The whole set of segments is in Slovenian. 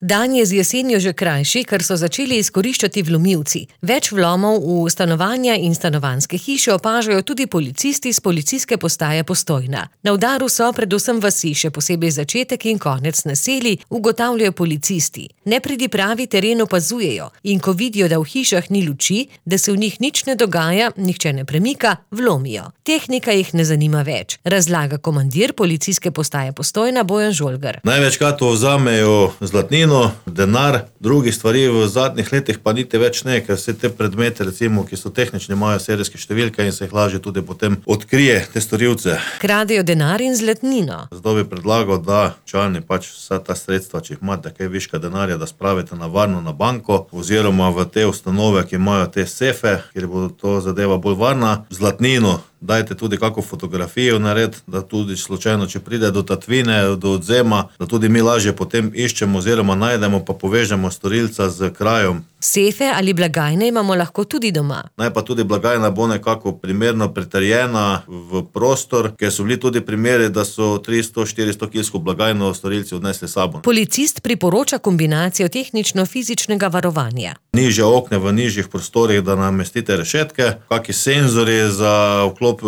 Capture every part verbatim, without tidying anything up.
Dan je z jesenjo že krajši, ker so začeli izkoriščati vlomilci. Več vlomov v stanovanja in stanovanjske hiše opažajo tudi policisti z policijske postaje Postojna. Na udaru so predvsem vasi, še posebej začetek in konec naselij, ugotavljajo policisti. Nepridipravi teren opazujejo in ko vidijo, da v hišah ni luči, da se v njih nič ne dogaja, nihče ne premika, vlomijo. Tehnika jih ne zanima več, razlaga komandir policijske postaje Postojna Bojan Žolgar. Največkrat vzamejo zlatnino, denar, drugih stvari v zadnjih letih pa niti več ne, ker se te predmete, recimo, ki so tehnični, imajo serijske številke in se jih lažje tudi potem odkrije te storilce. Kradejo denar in zlatnino. Zato bi predlagal, da člani pač vsa ta sredstva, če jih imate kaj viška denarja, da spravite na varno na banko oziroma v te ustanove, ki imajo te sefe, kjer bo to zadeva bolj varna. Zlatnino dajte tudi kako fotografijo nared, da tudi slučajno, če pride do tatvine, do odzema, da tudi mi lažje potem iščemo oziroma najdemo pa povežemo storilca z krajem. Sefe ali blagajne imamo lahko tudi doma. Naj pa tudi blagajna bo nekako primerno pritrjena v prostor, ker so bili tudi primeri, da so tristo štiristo kilsko blagajno storilci odnesli sabo. Policist priporoča kombinacijo tehnično-fizičnega varovanja. Nižje okne v nižjih prostorih, da namestite rešetke, kaki senzori za vklop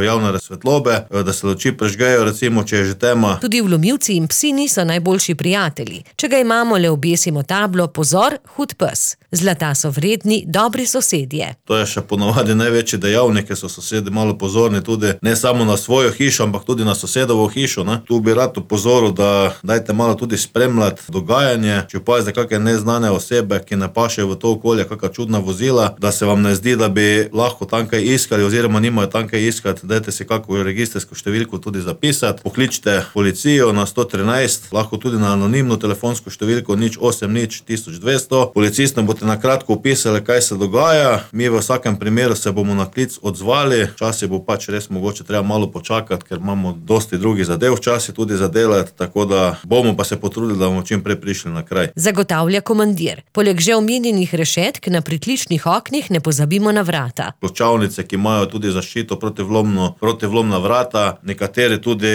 javne svetlobe, da se luči prižgejo, recimo, če je že tema. Tudi vlomilci in psi niso najboljši prijatelji. Če ga imamo, le obesimo tablo: pozor, hud pes. Zlata so vredni, dobri sosedje. To je še ponovadi največji dejavnik, ker so sosedi malo pozorni tudi ne samo na svojo hišo, ampak tudi na sosedovo hišo, ne. Tu bi rad opozoril, da dajte malo tudi spremljati dogajanje, če opazite kakšne neznane osebe, ki ne pašejo v to okolje, kakšna čudna vozila, da se vam ne zdi, da bi lahko tam kaj iskali oziroma nimajo tam kaj iskati, dajte si kakšno registrsko številko tudi zapisati, pokličite policijo na sto trinajst, lahko tudi na anonimno telefonsko številko nič osem nič tisoč dvesto. Policistom boste na kratko opisali, kaj se dogaja, mi v vsakem primeru se bomo na klic odzvali, včasih bo pač res mogoče treba malo počakati, ker imamo dosti drugih zadev včasih tudi zadelati, tako da bomo pa se potrudili, da bomo čim prej prišli na kraj. Zagotavlja komandir. Poleg že omenjenih rešetk na pritličnih oknih ne pozabimo na vrata. Ključavnice, ki imajo tudi zaščito protivlomno, protivlomna vrata, nekateri tudi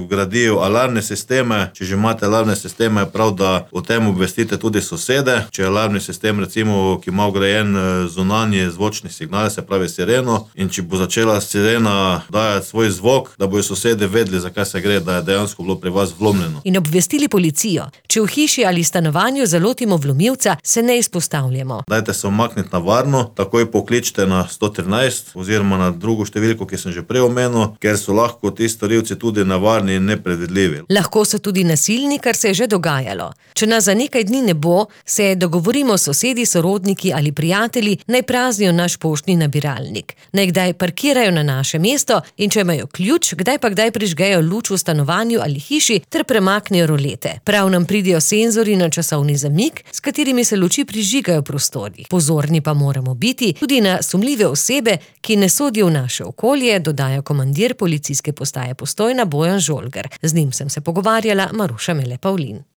vgradijo alarmne sisteme. Če že imate alarmne sisteme, je prav, da o tem obvestite tudi sosede. Če je alarmni sistem, recimo, ki ima vgrajen zunanji zvočni signal, se pravi sireno, in če bo začela sirena dajati svoj zvok, da bojo sosedi vedeli, zakaj se gre, da je dejansko bilo pri vas vlomljeno. In obvestili policijo. Če v hiši ali stanovanju zalotimo vlomilca, se ne izpostavljamo. Dajte se umakniti na varno, takoj pokličite na sto trinajst oziroma na drugo številko, ki sem že prej omenil, ker so lahko ti storilci tudi nevarni in nepredvidljivi. Lahko so tudi nasilni, kar se je že dogajalo. Če nas za nekaj dni ne bo, se dogovorimo s sosedi, sorodniki ali prijatelji, naj praznijo naš poštni nabiralnik. Naj kdaj parkirajo na naše mesto in če imajo ključ, kdaj pa kdaj prižgejo luč v stanovanju ali hiši ter premaknejo rolete. Prav nam pridejo senzori na časovni zamik, s katerimi se luči prižigajo v prostorih. Pozorni pa moramo biti tudi na sumljive osebe, ki ne sodijo v naše okolje, dodaja komandir policijske postaje Postojna Bojan Žolgar. Z njim sem se pogovarjala Maruša Mele Pavlin.